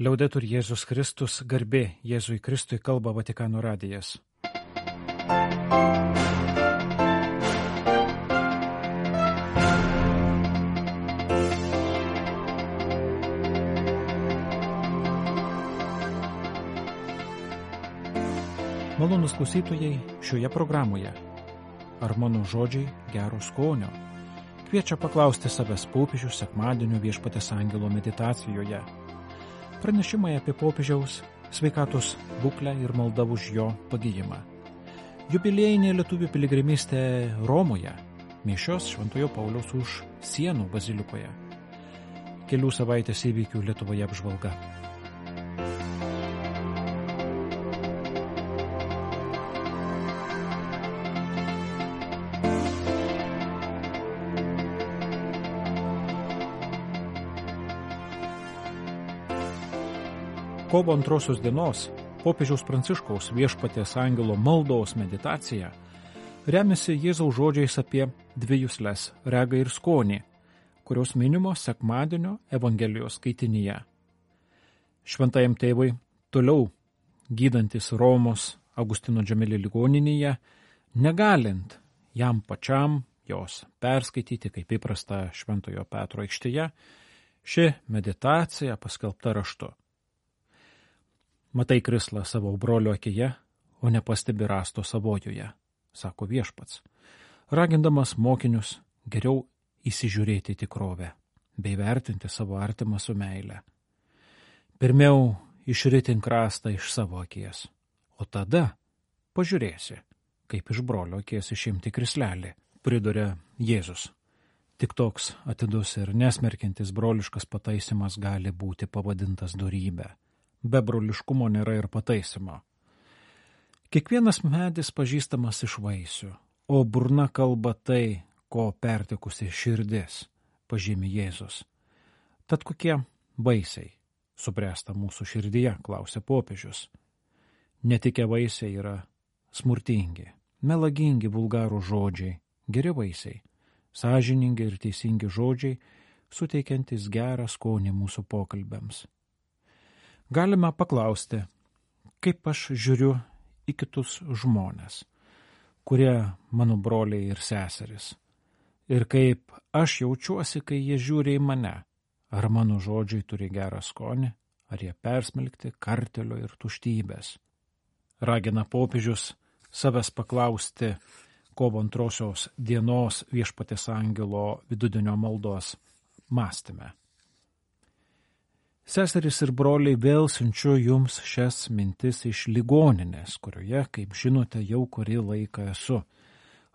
Liaudetur Jėzus Kristus, garbė Jėzui Kristui, kalba Vatikano radijas. Malonūs klausytojai, šioje programoje. Ar mano žodžiai gero skonio? Kviečia paklausti savęs popiežius sekmadienio Viešpaties angelo meditacijoje. Pranešimai apie popiežiaus sveikatos būklę ir malda už jo pagijimą. Jubiliejinė lietuvių piligrimystė Romoje, mišios Šventojo Pauliaus už sienų bazilikoje. Kelių savaitės įvykių Lietuvoje apžvalga. Kovo 2 dienos popiežiaus Pranciškaus Viešpaties angelo maldos meditacija remiasi Jėzaus žodžiais apie dvi jusles – regą ir skonį, kurios minimos sekmadienio Evangelijos skaitinyje. Šventajam tėvui toliau gydantis Romos Augustino Džemeli ligoninėje, negalint jam pačiam jos perskaityti kaip įprasta Šventojo Petro aikštėje, ši meditacija paskelbta raštu. Matai krislą savo brolio akyje, o nepastebi rasto savojoje, sako Viešpats, ragindamas mokinius geriau įsižiūrėti tikrovę, bei vertinti savo artimą su meile. Pirmiau išritink rastą iš savo akies, o tada pažiūrėsi, kaip iš brolio akies išimti krislelį, priduria Jėzus. Tik toks atidus ir nesmerkiantis broliškas pataisymas gali būti pavadintas dorybė. Be broliškumo nėra ir pataisymo. Kiekvienas medis pažįstamas iš vaisių, o burna kalba tai, ko pertekusi širdis, pažymi Jėzus. Tad kokie vaisiai subręsta mūsų širdyje, klausia popiežius. Netikę vaisiai yra smurtingi, melagingi vulgarų žodžiai, geri vaisiai, sąžiningi ir teisingi žodžiai, suteikiantis gerą skonį mūsų pokalbiams. Galime paklausti, kaip aš žiūriu į kitus žmones, kurie mano broliai ir seserys, ir kaip aš jaučiuosi, kai jie žiūri į mane, ar mano žodžiai turi gerą skonį, ar jie persmelkti kartelio ir tuštybės. Ragina popiežius savęs paklausti kovo 2 dienos Viešpaties angelo vidudienio maldos mąstyme. Seserys ir broliai, vėl siunčiu jums šias mintis iš ligoninės, kurioje, kaip žinote, jau kurį laiką esu,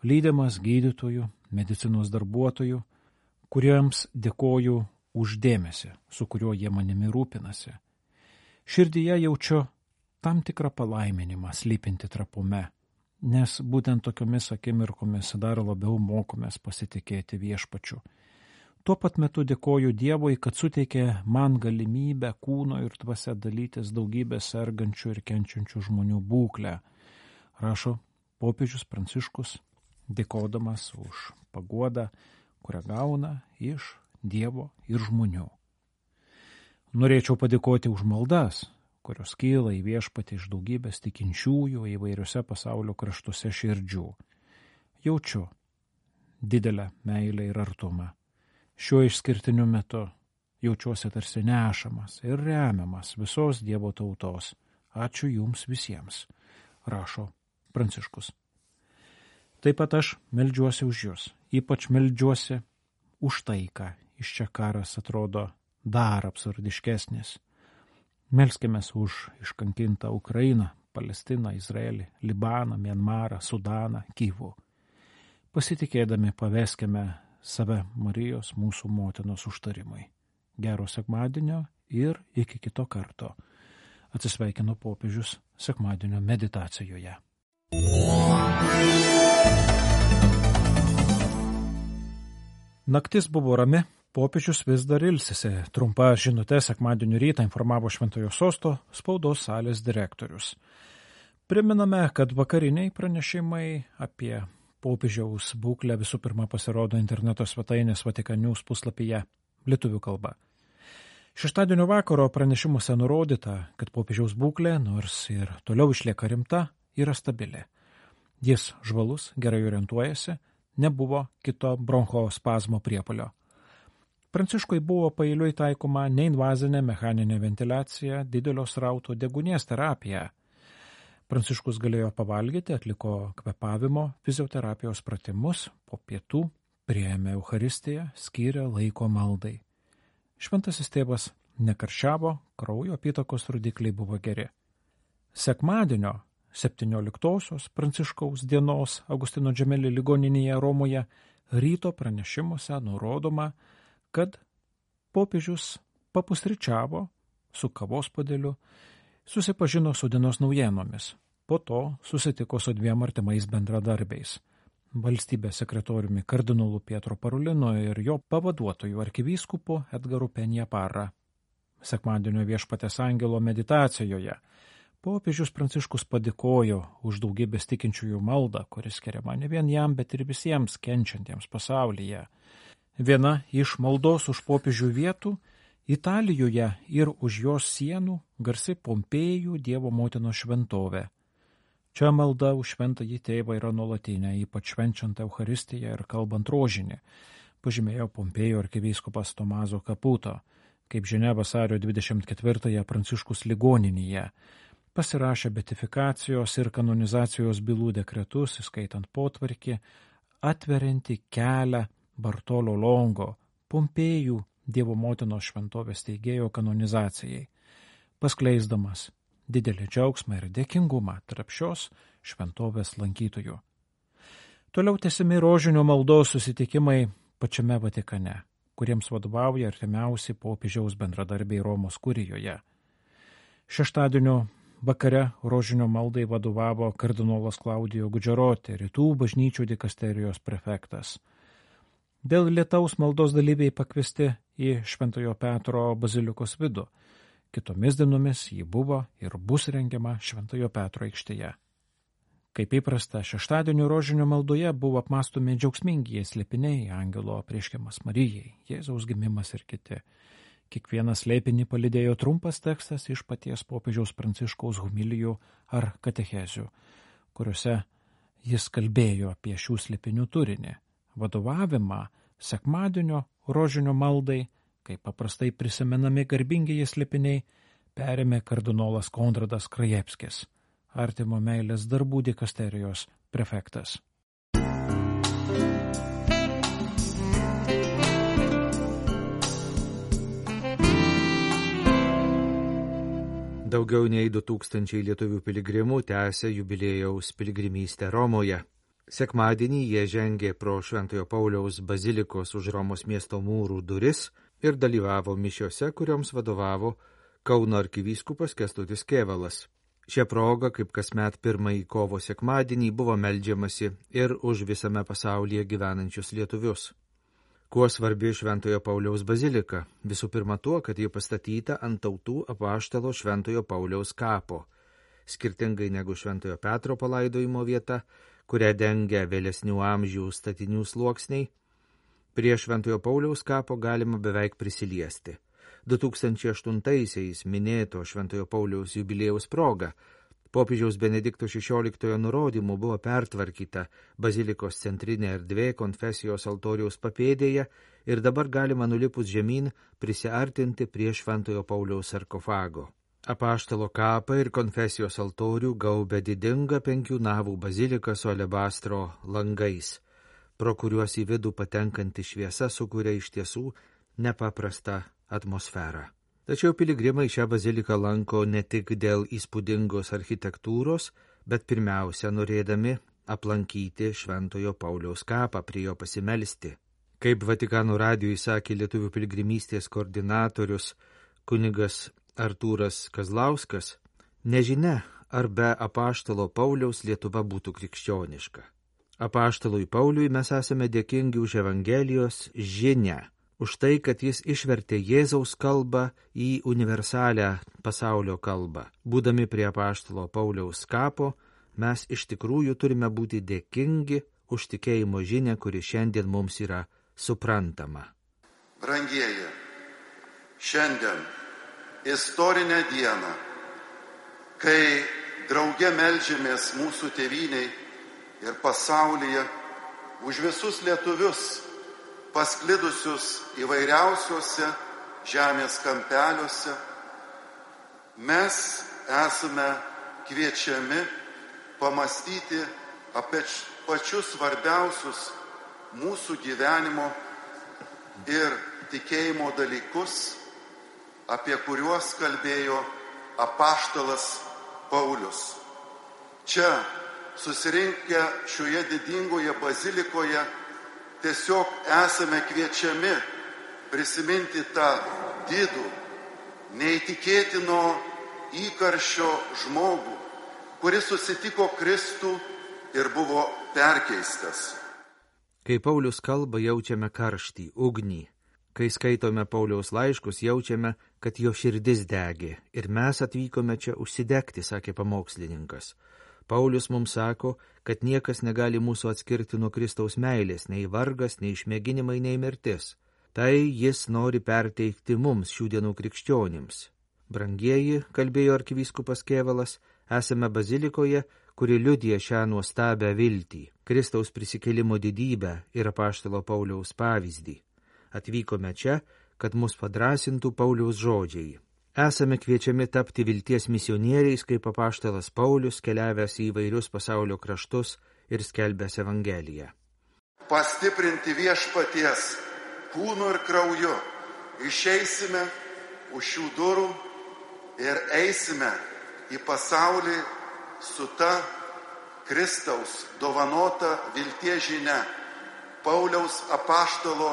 lydimas gydytojų, medicinos darbuotojų, kuriems dėkoju už dėmesį, su kuriuo jie manimi rūpinasi. Širdyje jaučiu tam tikrą palaiminimą slypinti trapume, nes būtent tokiomis akimirkomis dar labiau mokomės pasitikėti Viešpačiu. Tuo pat metu dėkoju Dievui, kad suteikė man galimybę kūno ir dvasia dalytis daugybę sergančių ir kenčiančių žmonių būklę, rašo popiežius Pranciškus, dėkodamas už paguodą, kurią gauna iš Dievo ir žmonių. Norėčiau padėkoti už maldas, kurios kyla į Viešpatį iš daugybės tikinčiųjų įvairiuose pasaulio kraštuose širdžių. Jaučiu didelę meilę ir artumą. Šiuo išskirtiniu metu jaučiuosi tarsi nešamas ir remiamas visos Dievo tautos. Ačiū jums visiems, rašo Pranciškus. Taip pat aš meldžiuosi už jūs, ypač meldžiuosi už taiką. Iš čia karas atrodo dar absurdiškesnis. Melskimės už iškankintą Ukrainą, Palestiną, Izraelį, Libaną, Mianmarą, Sudaną, Kyvų. Pasitikėdami paveskime save Marijos mūsų motinos užtarimai. Gero sekmadienio ir iki kito karto. Atsisveikino popiežius sekmadienio meditacijoje. Naktis buvo rami, popiežius vis dar ilsisi. Trumpa žinutė sekmadienio rytą informavo Šventojo sosto spaudos salės direktorius. Priminame, kad vakariniai pranešimai apie popiežiaus būklę visų pirma pasirodo interneto svetainės Vatikan News puslapyje lietuvių kalba. Šeštadienio vakaro pranešimuose nurodyta, kad popiežiaus būklė, nors ir toliau išlieka rimta, yra stabili. Jis žvalus, gerai orientuojasi, nebuvo kito bronchospazmo priepuolio. Pranciškui buvo paeiliui taikoma neinvazinė mechaninė ventiliacija, didelio srauto deguonies terapija. Pranciškus galėjo pavalgyti, atliko kvėpavimo fizioterapijos pratimus, po pietų priėmė Eucharistiją, skyrė laiko maldai. Šventasis tėvas nekarščiavo, kraujo apytakos rodikliai buvo geri. Sekmadienio 17-osios Pranciškaus dienos Augustino Džemelį ligoninėje Romoje ryto pranešimuose nurodoma, kad popiežius papusryčiavo su kavos puodeliu, susipažino su dienos naujienomis, po to susitiko su 2 artimais bendradarbiais – valstybės sekretoriumi kardinolu Pietro Parulinu ir jo pavaduotoju arkivyskupu Edgaru Penjaparra. Sekmadienio Viešpaties angelo meditacijoje popiežius Pranciškus padėkojo už daugybės tikinčiųjų maldą, kuris skiriama ne vien jam, bet ir visiems kenčiantiems pasaulyje. Viena iš maldos už popiežių vietų Italijoje ir už jos sienų garsi Pompėjų Dievo motinos šventovė. Čia malda už šventąjį tėvą yra nuolatinė, ypač švenčiant Eucharistiją ir kalbant rožinį, pažymėjo Pompėjų arkivyskupas Tomazo Caputo. Kaip žinia, vasario 24-ąją Pranciškus ligoninėje pasirašė beatifikacijos ir kanonizacijos bylų dekretus, įskaitant potvarkį, atveriantį kelią Bartolo Longo, Pompėjų Dievo motinos šventovės steigėjo kanonizacijai, paskleisdamas didelį džiaugsmą ir dėkingumą tarp šios šventovės lankytojų. Toliau tęsiami rožinio maldos susitikimai pačiame Vatikane, kuriems vadovauja artimiausi popiežiaus bendradarbiai Romos kurijoje. Šeštadienio vakare rožinio maldai vadovavo kardinolas Klaudijo Gudžeroti, rytų bažnyčių dikasterijos prefektas. Dėl lietaus maldos dalyviai pakviesti į Šventojo Petro bazilikos vidų. Kitomis dienomis ji buvo ir bus rengiama Šventojo Petro aikštėje. Kaip įprasta, šeštadienio rožinio maldoje buvo apmąstomi džiaugsmingi slėpiniai, angelo apreiškimas Marijai, Jėzaus gimimas ir kiti. Kiekvieną slėpinį palydėjo trumpas tekstas iš paties popiežiaus Pranciškaus homilijų ar katechezių, kuriuose jis kalbėjo apie šių slėpinių turinį, vadovavimą sekmadienio rožinio maldai, kaip paprastai prisimenami garbingieji slėpiniai, perėmė kardinolas Konradas Krajevskis, artimo meilės darbų dikasterijos prefektas. Daugiau nei 2000 lietuvių piligrimų tęsia jubiliejaus piligrimystę Romoje. Sekmadienį jie žengė pro Šventojo Pauliaus bazilikos už Romos miesto mūrų duris ir dalyvavo mišiose, kurioms vadovavo Kauno arkivyskupas Kęstutis Kėvalas. Šia proga, kaip kasmet 1 kovo sekmadienį, buvo meldžiamasi ir už visame pasaulyje gyvenančius lietuvius. Kuo svarbi Šventojo Pauliaus bazilika? Visų pirma tuo, kad ji pastatyta ant tautų apaštalo Šventojo Pauliaus kapo. Skirtingai negu Šventojo Petro palaidojimo vieta, kurią dengia vėlesnių amžių statinių sluoksniai, prie Šventojo Pauliaus kapo galima beveik prisiliesti. 2008-aisiais minėto Šventojo Pauliaus jubiliejaus proga popiežiaus Benedikto XVI nurodymu buvo pertvarkyta bazilikos centrinė erdvė konfesijos altoriaus papėdėje ir dabar galima nulipus žemyn prisiartinti prie Šventojo Pauliaus sarkofago. Apaštalo kapą ir konfesijos altorių gaubia didinga 5 navų bazilika su alebastro langais, pro kuriuos į vidų patenkanti šviesa sukuria iš tiesų nepaprastą atmosferą. Tačiau piligrimai šią baziliką lanko ne tik dėl įspūdingos architektūros, bet pirmiausia norėdami aplankyti Šventojo Pauliaus kapą, prie jo pasimelsti. Kaip Vatikano radijui sakė lietuvių piligrimystės koordinatorius kunigas Artūras Kazlauskas, nežinia, ar be apaštalo Pauliaus Lietuva būtų krikščioniška. Apaštalui Pauliui mes esame dėkingi už Evangelijos žinią, už tai, kad jis išvertė Jėzaus kalbą į universalią pasaulio kalbą. Būdami prie apaštalo Pauliaus kapo, mes iš tikrųjų turime būti dėkingi už tikėjimo žinią, kuri šiandien mums yra suprantama. Brangieji, šiandien istorinę dieną, kai drauge meldžiamės mūsų tėvyniai ir pasaulyje už visus lietuvius, pasklidusius įvairiausiuose žemės kampeliuose, mes esame kviečiami pamastyti apie pačius svarbiausius mūsų gyvenimo ir tikėjimo dalykus, apie kuriuos kalbėjo apaštalas Paulius. Čia, susirinkę šioje didingoje bazilikoje, tiesiog esame kviečiami prisiminti tą didų, neįtikėtino įkarščio žmogų, kuris susitiko Kristų ir buvo perkeistas. Kai Paulius kalba, jaučiame karštį, ugnį. Kai skaitome Pauliaus laiškus, jaučiame, kad jo širdis degė ir mes atvykome čia užsidegti, sakė pamokslininkas. Paulius mums sako, kad niekas negali mūsų atskirti nuo Kristaus meilės, nei vargas, nei išmėginimai, nei mirtis. Tai jis nori perteikti mums šių dienų krikščionims. Brangieji, kalbėjo arkivyskupas Kėvalas, esame bazilikoje, kuri liudija šią nuostabią viltį, Kristaus prisikėlimo didybę ir apaštalo Pauliaus pavyzdį. Atvykome čia, kad mus padrasintų Pauliaus žodžiai. Esame kviečiami tapti vilties misionieriais, kaip apaštalas Paulius, keliavęs į įvairius pasaulio kraštus ir skelbęs Evangeliją. Pastiprinti viešpaties kūnu ir krauju išeisime už šių durų ir eisime į pasaulį su ta Kristaus dovanota vilties žinia, Pauliaus apaštalo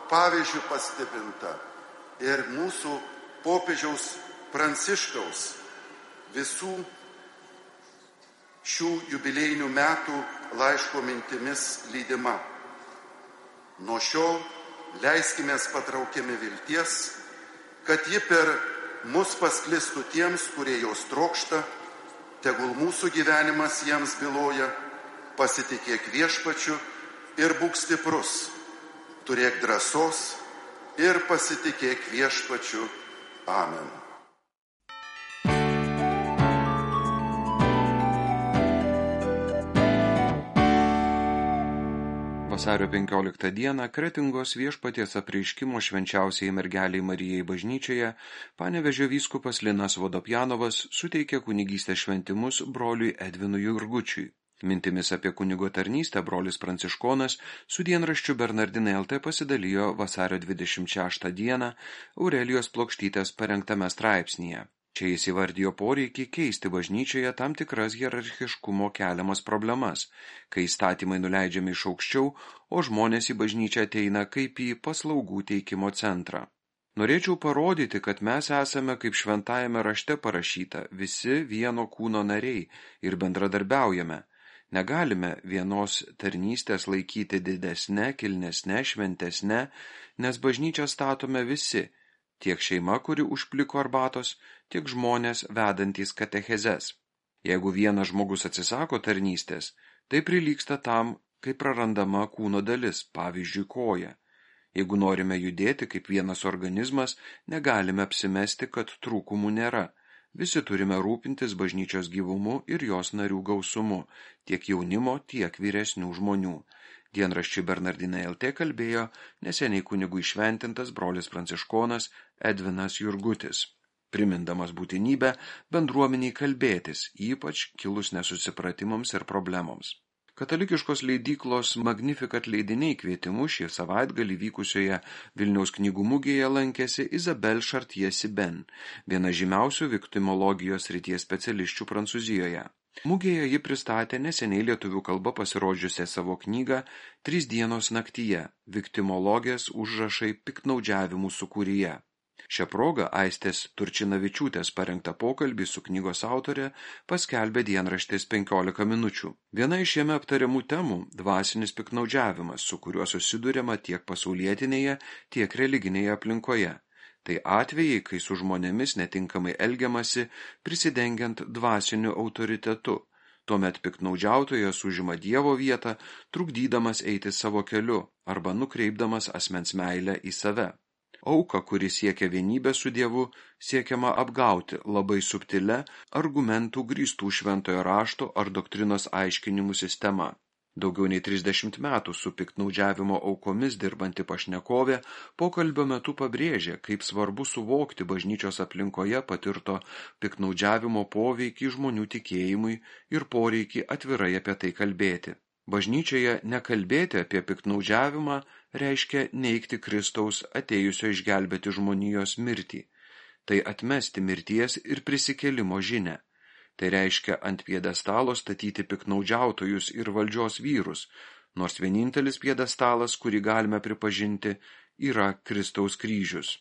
pavyzdžių pastiprinta ir mūsų popiežiaus Pranciškaus visų šių jubiliejinių metų laiško mintimis lydima. Nuo šiol leiskimės patraukiami vilties, kad ji per mus pasklistų tiems, kurie jos trokšta, tegul mūsų gyvenimas jiems byloja, pasitikėk viešpačiu ir būk stiprus. Turėk drąsos ir pasitikėk viešpačiu. Amen. Vasario 15 dieną Kretingos Viešpaties apreiškimo švenčiausiai mergeliai Marijai bažnyčioje Panevėžio vyskupas Linas Vodopjanovas suteikė kunigystės šventimus broliui Edvinui Jurgučiui. Mintimis apie kunigo tarnystę brolis Pranciškonas su dienraščiu Bernardinai LT pasidalijo vasario 26 dieną Aurelijos Plokštytės parengtame straipsnyje. Čia jis įvardijo poreikį keisti bažnyčioje tam tikras hierarchiškumo keliamas problemas, kai įstatymai nuleidžiami iš aukščiau, o žmonės į bažnyčią ateina kaip į paslaugų teikimo centrą. Norėčiau parodyti, kad mes esame, kaip šventajame rašte parašyta, visi vieno kūno nariai ir bendradarbiaujame. Negalime vienos tarnystės laikyti didesne, kilnesne, šventesne, nes bažnyčią statome visi, tiek šeima, kuri užpliko arbatos, tiek žmonės vedantys katechezes. Jeigu vienas žmogus atsisako tarnystės, tai prilygsta tam, kai prarandama kūno dalis, pavyzdžiui, koja. Jeigu norime judėti kaip vienas organizmas, negalime apsimesti, kad trūkumų nėra. Visi turime rūpintis bažnyčios gyvumu ir jos narių gausumu, tiek jaunimo, tiek vyresnių žmonių. Dienraščiui Bernardinai LT kalbėjo neseniai kunigų įšventintas brolis Pranciškonas Edvinas Jurgutis, primindamas būtinybę bendruomeniai kalbėtis, ypač kilus nesusipratimams ir problemoms. Katalikiškos leidyklos Magnificat leidiniai kvietimu šį savaitgalį vykusioje Vilniaus knygų mugėje lankėsi Isabelle Chartier-Sibin, viena žymiausių viktimologijos srities specialisčių Prancūzijoje. Mugėje ji pristatė neseniai lietuvių kalba pasirodžiusią savo knygą 3 dienos naktyje – viktimologijos užrašai piktnaudžiavimų sūkuryje. Šią progą Aistės Turčinavičiūtės parengtą pokalbį su knygos autorė paskelbė dienraštis 15 minučių. Viena iš jame aptariamų temų – dvasinis piktnaudžiavimas, su kuriuo susiduriama tiek pasaulietinėje, tiek religinėje aplinkoje. Tai atvejai, kai su žmonėmis netinkamai elgiamasi, prisidengiant dvasiniu autoritetu. Tuomet piktnaudžiautojas užima Dievo vietą, trukdydamas eiti savo keliu arba nukreipdamas asmens meilę į save. Auką, kuri siekia vienybę su Dievu, siekiama apgauti labai subtilia argumentų grįstų šventojo rašto ar doktrinos aiškinimų sistema. Daugiau nei 30 metų su piktnaudžiavimo aukomis dirbanti pašnekovė pokalbio metu pabrėžė, kaip svarbu suvokti bažnyčios aplinkoje patirto piktnaudžiavimo poveikį žmonių tikėjimui ir poreikį atvirai apie tai kalbėti. Bažnyčioje nekalbėti apie piktnaudžiavimą reiškia neigti Kristaus atėjusio išgelbėti žmonijos mirtį. Tai atmesti mirties ir prisikėlimo žinią. Tai reiškia ant pjedestalo statyti piktnaudžiautojus ir valdžios vyrus, nors vienintelis pjedestalas, kurį galime pripažinti, yra Kristaus kryžius.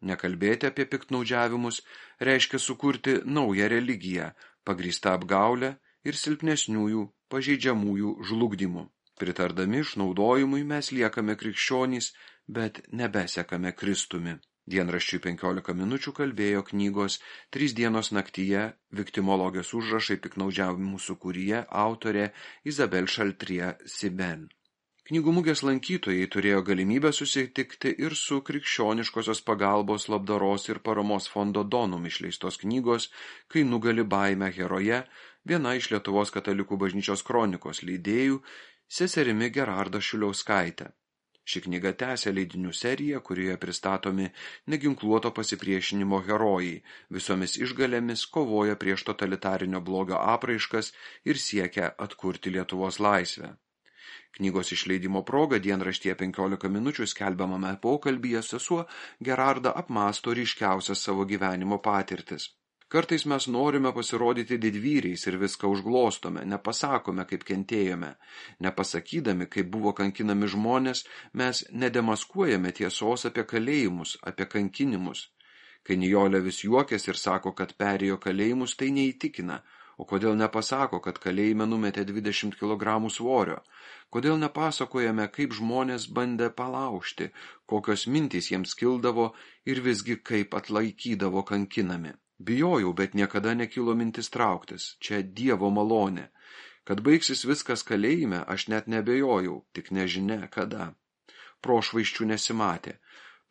Nekalbėti apie piktnaudžiavimus reiškia sukurti naują religiją, pagrįstą apgaulę ir silpnesniųjų, pažeidžiamųjų žlugdymu. Pritardami išnaudojimui mes liekame krikščionys, bet nebesekame Kristumi. Dienraščiui 15 minučių kalbėjo knygos 3 dienos naktyje viktimologijos užrašai piktnaudžiavimų sūkuryje autorė Izabel Šaltrie Siben. Knygų mugės lankytojai turėjo galimybę susitikti ir su krikščioniškosios pagalbos, labdaros ir paramos fondo Donum išleistos knygos Kai nugali baimę heroje, viena iš Lietuvos katalikų bažnyčios kronikos leidėjų, seserimi Gerarda Šuliauskaitė. Ši knyga tęsia leidinių seriją, kurioje pristatomi neginkluoto pasipriešinimo herojai, visomis išgalėmis kovoja prieš totalitarinio blogio apraiškas ir siekia atkurti Lietuvos laisvę. Knygos išleidimo proga dienraštyje 15 minučių skelbiamame pokalbyje sesuo Gerarda apmąsto ryškiausias savo gyvenimo patirtis. Kartais mes norime pasirodyti didvyriais ir viską užglostome, nepasakome, kaip kentėjome. Nepasakydami, kaip buvo kankinami žmonės, mes nedemaskuojame tiesos apie kalėjimus, apie kankinimus. Kai Nijolė vis juokėsi ir sako, kad perėjo kalėjimus, tai neįtikina. O kodėl nepasako, kad kalėjime numetė 20 kg svorio? Kodėl nepasakojame, kaip žmonės bandė palaužti, kokios mintys jiems kildavo ir visgi kaip atlaikydavo kankinami? Bijojau, bet niekada nekilo mintis trauktis. Čia Dievo malonė. Kad baigsis viskas kalėjime, aš net nebejojau, tik nežinia kada. Prošvaisčių nesimatė.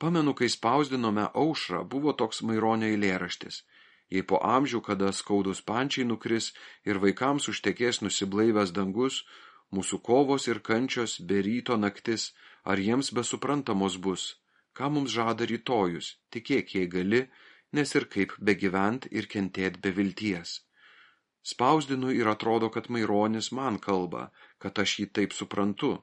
Pamenu, kai spausdinome Aušrą, buvo toks Maironio eilėraštis. Jei po amžių, kada skaudus pančiai nukris ir vaikams užtekės nusiblaivęs dangus, mūsų kovos ir kančios be ryto naktis, ar jiems besuprantamos bus? Ką mums žada rytojus? Tikėk, jei gali, nes ir kaip begyvent ir kentėt be vilties. Spausdinu ir atrodo, kad Maironis man kalba, kad aš jį taip suprantu.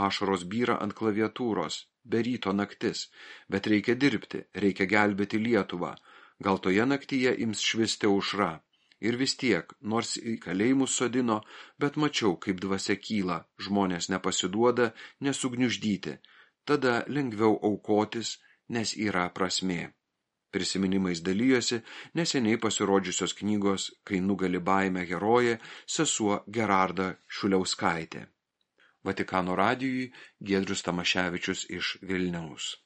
Ašaros byra ant klaviatūros, be ryto naktis, bet reikia dirbti, reikia gelbėti Lietuvą. Gal toje naktyje ims švisti aušra. Ir vis tiek, nors į kalėjimus sodino, bet mačiau, kaip dvasia kyla, žmonės nepasiduoda, nesugniuždyti. Tada lengviau aukotis, nes yra prasmė. Prisiminimais dalyjosi neseniai pasirodžiusios knygos Kai nugali baimę herojė sesuo Gerarda Šuliauskaitė. Vatikano radijui Giedrius Tamaševičius iš Vilniaus.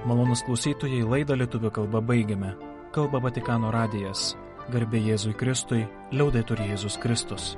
Malonūs klausytojai, laidą lietuvių kalba baigiame. Kalba Vatikano radijas. Garbė Jėzui Kristui, liaudetur Jėzus Kristus.